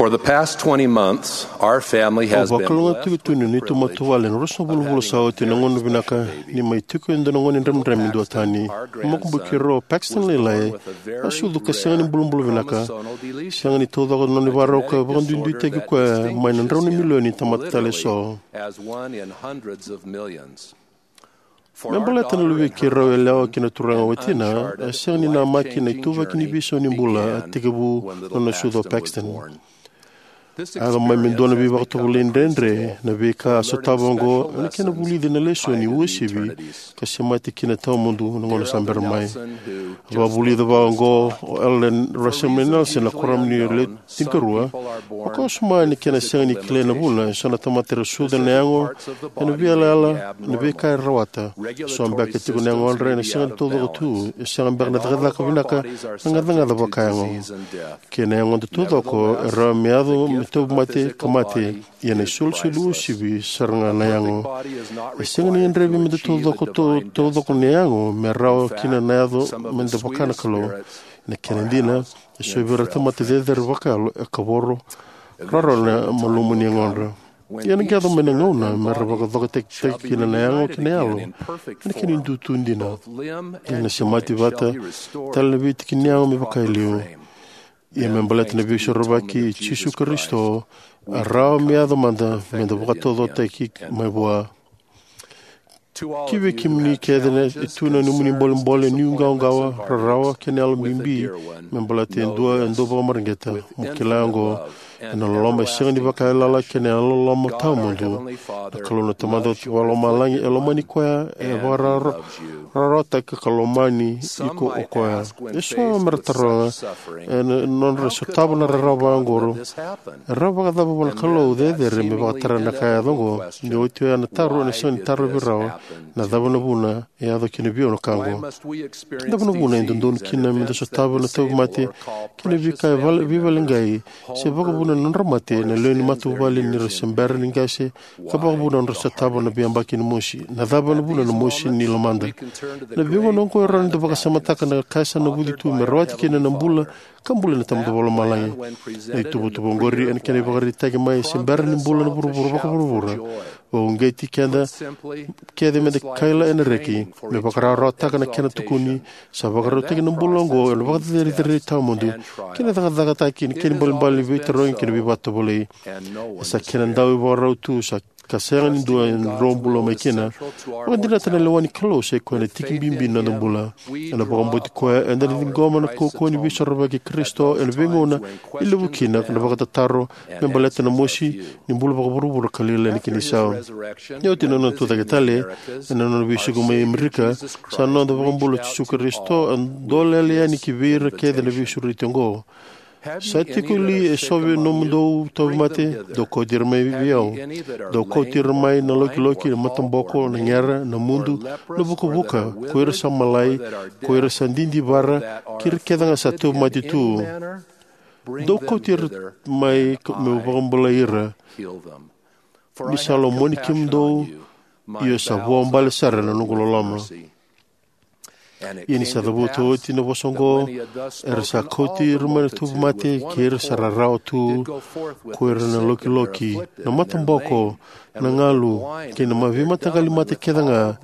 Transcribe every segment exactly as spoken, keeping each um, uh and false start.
For the past twenty months, our family has been blessed with the privilege of having a faith-based baby. Au vakalougatataki tu ni neitou matavuvale ena ruasagavulu na vula sa oti na gauna vinaka ni mai tiko e dua na gone dramidrami duatani. Na makubuki keirau o Paxton Lailai a sucu ka sega ni bulabula vinaka, sega ni taucoko na nona ivakarau ka vakaduiduitaki koya mai na drau na milioni ni tamata tale eso. Me baleta na luvei keirau yalewa kei na turaga watina, e sega ni namaki na ituvaki ni veisau ni bula a tekivu na nona sucu o Paxton. A yaco mai me dua na veivakatovolei dredre na veika a sotava oqo ena kena vulici na lesoni uasivi ka semati kina tawamudu na gauna sa bera mai. A vakavulica vakaoqo o Elder Russell M. Nelson na Kuoramu ni Lewe Tinikarua: Vakawasoma ni kena sega ni kilai na vuna, eso na tamata era sucu ena yago, ena veiyalayala, na veika era rawata. Eso beka e tiko na yagodra ena sega ni taucoko tu, e sega beka na cakacaka vinaka, na gacagaca vakayago. Kei na yagoda taucoko e rawa me yaco me tauvimate ka mate, ia na isolisoli uasivi sara ga na yago. E sega ni gadrevi me da taucoko, tau-, taucoko na yago me rawa kina na yaco me da vaka na Kalou. Na kena dina, eso vei ira na tamata cecere vakayalo e kavoro rawarawa na malumu ni yagodra. Ia ena qai yaco mai na gauna me ra vakacokotaki kina na yago kei na yalo ena kena idutu dina. Ia na semati vata tale na veitiki ni yago me vaka e liu. Ia me baleta na Veisorovaki i Jisu Karisito, e rawa me yaco mada me da vakataucokotaki mai vua. Ki vei kemuni kece e tu na nomuni bolebole, nuiqawaqawa, rarawa kei na yalo bibi me baleta e dua e dau vakamareqeta, mo kila oqo: ena loloma e sega ni vakaiyalayala kei na yalololoma tawamudu, na Kalou na Tamada Vakalomalagi e lomani koya, e vakararawataka ka lomani iko o koya. Eso me ra taroga, ena nodra sotava na rarawa vaqori, e rawa vakacava vua na Kalou cecere me vakatara na ka e yaco oqo? Ni oti oya na taro ena sega ni tarovi rawa: na cava na vuna e yaco kina vei au na ka oqo? Na cava na vuna e dodonu kina me da sotava na tauvimate kei na veika e vale-, veivaleqai, se vakavuna na nodra mate na lewe ni matavuvale ni ra se bera ni qase, ka vakavuna na nodra sotava na veiyabaki ni mosi? Na cava na vuna na mosi ni lomada? Na veigauna oqo e rawa ni da vakasamataka na ka sa navuci tu me rawati kina na bula ka buli na Tamada Vakalomalagi. Na ituvatuva oqori ena kena ivakaraitaki mai se bera ni bula na vuravura vakavuravura, vakauqeti keda kece me da kaila ena reki, me vakarawarawataka na kena tukuni, sa vakarautaki na bula oqo ena vakacerecerei tawamudu kei na cakacakataki ni kena ibalebale ni veitarogi kei na veivakatovolei. E sa kena dau ivakarau tu sa ka sega ni dua e drobula mai kina. Vakadinata na lewa ni Kalou sa i koya na tiki bibi ni noda bula. Ena vakabauti koya, eda na ciqoma na kaukauwa ni Veisorovaki i Karisito ena veigauna e levu kina na vakatataro me baleta na mosi ni bula vakavuravura ka lailai na kena isau. Ni oti na nona tucake tale, ena nona veisuki mai Amerika, sa noda iVakabula o Jisu Karisito a dolele yani ki vei ira kece na veisureti oqo: Sa tiko li eso vei nomudou tauvimate? Dou kauti ira mai vei au. Dou kauti ira mai na lokiloki, na mataboko, na gera, na mudu, na vukavuka, ko ira sa malai, ko ira sa didivara, kei ira kece ga sa tauvimate tu. Dou kauti ira mai ka meu vakabulai ira. Ni sa lomani kemudou, io sa vuabale sara na noqu loloma. Ia ni sa cavuta oti na vosa oqo, era sa kauti ira mai na tauvimate kei ira sa rarawa tu, ko ira na lokiloki, na mataboko, na galu, kei na ma-, veimataqali mate kece ga,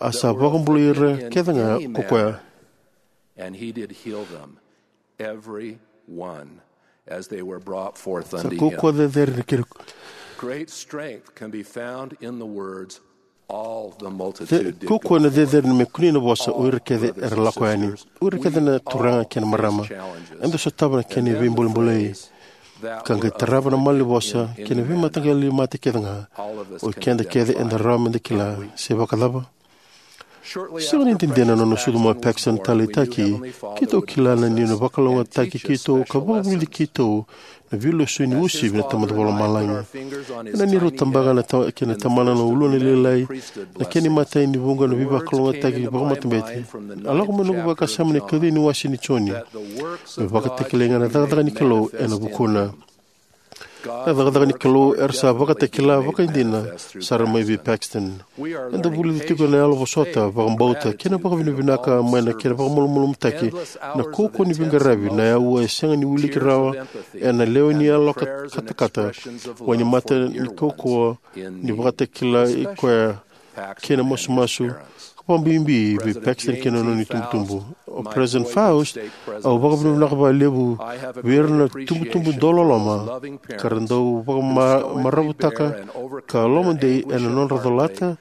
a sa vakabulai ira kece ga ko koya. And he did heal them, every one, as they were brought forth unto him. Sa kaukauwa cecere na kena. Great strength can be found in the words, "All the multitude did go forth." Kaukauwa na cecere ni me kunei na vosa, "O ira kece era lako yani." O ira kece na turaga kei na marama, eda sotava na kena veibulebulei. Ka qai tarava na malanivosa kei na veimataqali mate kece ga. O keda kece eda rawa meda kila. Se vakacava? Sega ni dede na nona sucu mai o Paxton taleitaki, keitou kila ni na vakalougatataki keitou ka vakavulici keitou na veilesoni uasivi na Tamada Vakalomalagi. Ena neirau tabaka na ta-, kei na tamana na uluna lailai, na kena imatai ni vuqa na veivakalougatataki vakamatabete. A lako mai noqu vakasama na ikaciwa ni wase ni Joni. Me vakatakilai ga na cakacaka ni Kalou ena vukuna. Na cakacaka ni Kalou era sa vakatakila vakaidina sara mai vei Paxton. Eda vulica tiko na yalo vosota, vakabauta, kei na vakavinavinaka mai na kena vakamalumalumutaki na kaukauwa ni veiqaravi, na aua e sega ni wiliki rawa ena lewe ni yalo ka- katakata, wainimata ni kaukauwa ni vakatakila i koya kei na masumasu, ka vakabibi vei Paxton kei na nona itubutubu. O President Faust, au vakavinavinaka vakalevu vei ira na tubutubu dauloloma ka ra dau vakamaravutaka ka lomadei ena nodra colata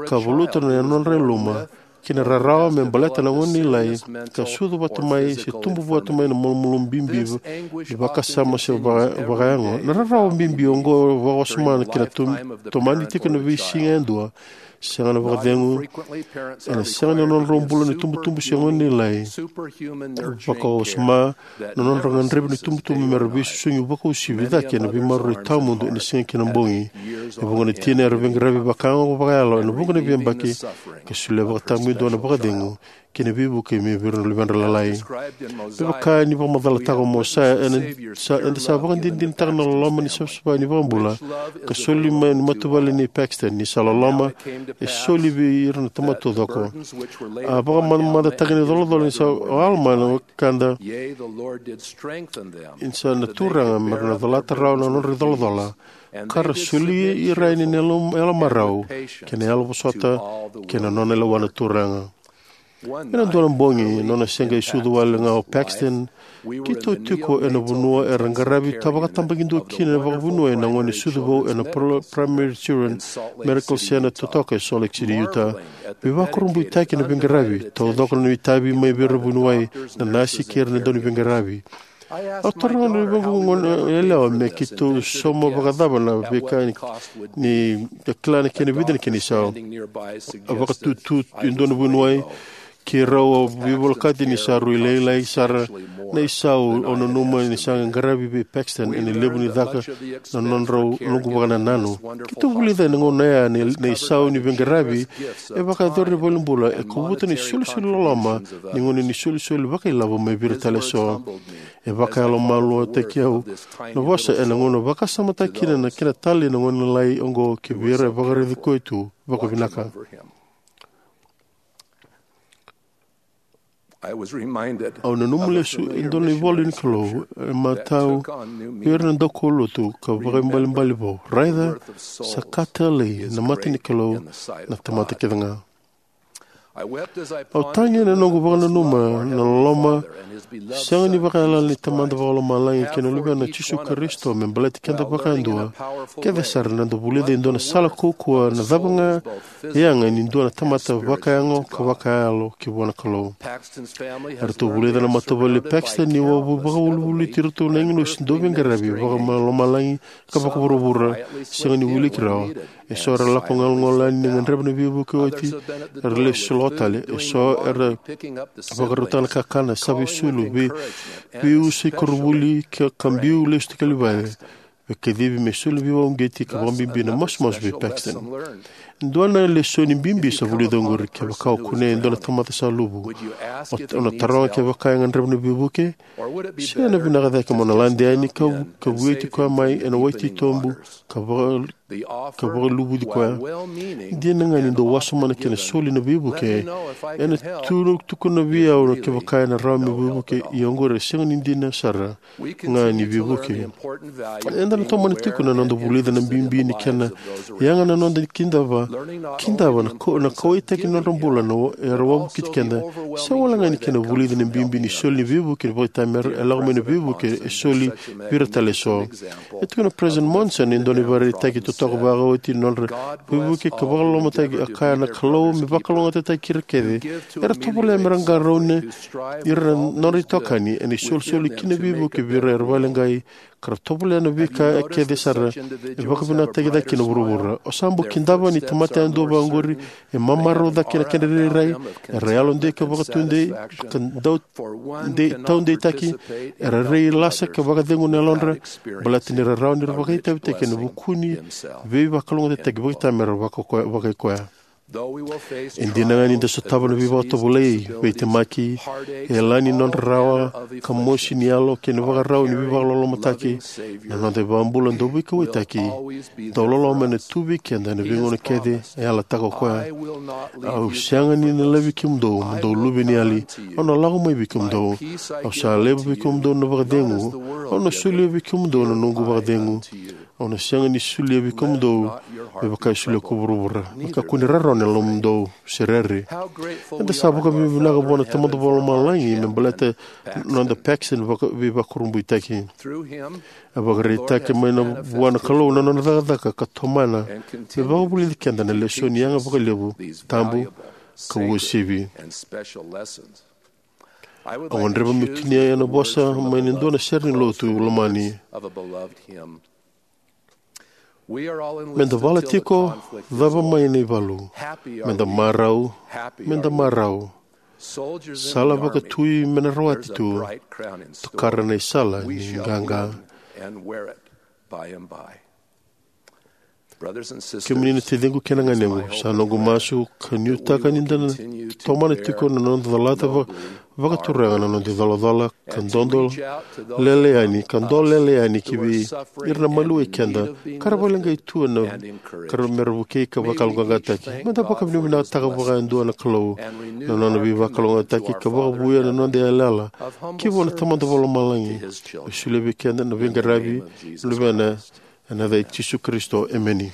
ka valuta na nodra yaluma kei na rarawa me baleta na gone lailai, ka sucu vata mai se tubu vata mai na malumalumu bibi ni vakasama se vaka- vakayago. Na rarawa bibi oqo vakawasoma ki na tom- tomani tiko na veisiga yadua, sega na vakacegu, ena sega na nodrau bula ni tubutubu se gone lailai. Vakawasoma na nodrau gadrevi na itubutubu mera veisusugi vakausivi cake ena veimaroroi tawamudu ena siga kei na bogi. E vuqa na tina era veiqaravi vakayago ka vakayalo ena vuqa na veiyabaki, ka solia vakataqomaki dua na vakacegu kei na veivuke mai vei ira na luvedra lailai. Me vaka ni vakamacalataka o Mosaia, ena sa- eda sa vakadinadinataka na loloma ni savasava ni iVakabula ka soli mai na matavuvale nei Paxton, ni sa loloma, e soli vei ira na tamata taucoko. A vakamamadataki na icolacola ni sa o Alama na wekada, ni sa na Turaga mera na colata rawa na nodra icolacola, ka ra soli ira yani na yalo, yalo marau kei na yalo vosota kei na nona lewa na Turaga. Ena dua na bogi, nona se qai sucu wale ga o Paxton, keitou tiko ena vanua era qaravi ka vakatabakidua kina vakavanua na gone sucu vou ena Pro- Primary Children Medical Center totoka e Salt Lake City, Utah. Veivakurabuitaki na veiqaravi, taucoko na itavi mai vei ira na vuniwai, na nasi kei ira na dauniveiqaravi. Au taroga na luvequ goneyalewa me keitou sauma vakacava na veika ni, ni ka kila na kena vica na kena isau. A vakatutu e dua na vuniwai, keirau a veivolekati ni sa rui lailai sara na isau au nanuma ni sa qaravi vei Paxton ena levu ni caka na nodrau noqu vakanananu. Keitou vulica ena gauna ya na, na isau ni veiqaravi e vakayacori ena valenibula, e kovuta na isolisoli loloma ni gauna ni solisoli vakailavo mai vei ira tale eso. E vakayalomaluataki au na vosa ena gauna vakasamataki kina na kena talei na gone lailai oqo ki vei ira e vakaraici koya tu vakavinaka. Au nanuma lesu e dua na ivola ni Kalou e matau vei ira na daukaulotu ka vakaibalebale vou: Raica, sa ka talei na mata ni Kalou na tamata kece ga. Au tagi ena noqu vakananuma na loloma sega ni vakaiyalayala ni Tamada Vakalomalagi kei na Luvena, o Jisu Karisito, me baleti keda vakayadua kece sara na noda vulica e dua na sala kaukauwa na cava ga e yaga ni dua na tamata vakayago ka vakayalo ki vua na Kalou. Eratou vulica na matavuvale i Paxton ni vakavolivoliti iratou na agilosi dauveiqaravi vakalomalagi ka vakavuravura, sega ni wiliki rawa. Eso era lako galugalu yani ni gadreva na veivuke oti, era lesu lako tale. Eso era vakarautaka na kakana, sava isulu, vei, veiusa i koronivuli, ka, ka biu lesu tiko i vale. Veikacivi me soli veivakauqeti ka vakabibi na masumasu vei Paxton. Dua na lesoni bibi sa vulica oqori: kevaka o kunea e dua na tamata sa luvu, o, o na taroga kevaka e gadreva na veivuke? Se na vinaka cake mo na lade yani ka, ka vueti koya mai ena wai titobu ka vaka, ka vakaluvuci koya? Dina ga ni dau wasoma na kena soli na veivuke, ena tu, tukuna vei au na kevaka ena rawa me veivuke, ia oqori e sega ni dina sara ga ni veivuke. Eda na tomana tiko na noda vulica na bibi ni kena yaga na noda kidava, kidava na, ka, na kauwaitaki ni nodra bula na, era wavokiti keda. Sega walega ni kena vulica na bibi ni soli ni veivuke ni vakaitamera, e lako mai na veivuke e soli vei ira tale eso. E tukuna o President Monson e dua na ivakaraitaki totoka vakaoti ni nodra veivuke ka vakalolomataki, a kaya: Na Kalou me vakalougatataki ira kece era tovolea mera qarauna ira na nodra itokani ena isolisoli ki na veivuke vei ira era vakaleqai, ka ra tovolea na veika kece sara e vakavinakataki cake kina vuravura. O sa bau kidava ni tamata yadua vakaoqori e mamarau cake na kedra irairai, era yalodei ka vakatudei, ka dau dei, taudeitaki, era rairai lasa ka vakacegu na yalodra, baleta ni ra rawa ni ra vakaitavitaki ena vuku ni veivakalougatataki vakaitamera vaka koya, vakaikoya. E dina ga ni da sotava na veivakatovolei, veitemaki, e yalani nodra rawa, ka mosi ni yalo kei na ivakarau ni veivakalolomataki, na noda iVakabula dau veikauwaitaki, dau loloma ena tu vei keda ena veigauna kece e yalataka o koya. Au sega ni na laivi kemudou mo dou luveniyali, au na lako mai vei kemudou. Au sa laiva vei kemudou na vakacegu, au na solia vei kemudou na noqu vakacegu. Au na sega ni solia vei kemudou me vaka e solia ko vuravura. Me kakua ni rarawa na lomamudou se rere. Eda sa vakavinavinaka vua na Tamada Vakalomalagi me baleta na noda Paxton vaka- veivakurabuitaki. A vakaraitaki mai na vua na Kalou na nona cakacaka ka tomana me vakavulici keda na lesoni yaga vakalevu, tabu, ka uasivi. Au gadreva meu tinia ena vosa mai na dua na sere ni lotu lomani. Meda vala tiko, cava mai na ivalu. Meda marau, meda marau. Sala vakatui me na rawati tu, tokara na isala ni qaqa. Kemuni na taciqu kei na ganequ, sa noqu masu ka nuitaka ni da na tomana tiko na noda calata va- vakaturaga na noda icolacola ka dodo lele yani, ka dolele yani ki vei ira na maliwai keda ka ra vakaleqai tu ena ka ra mera vukei ka vakalougatataki. Meda vakavinavinakataka vakayadua na Kalou na nona veivakalougatataki ka vakavouya na noda yalayala ki vua na Tamada Vakalomalagi me solia vei keda na veiqaravi na Luvena. Ena yaca i Jisu Karisito, emeni.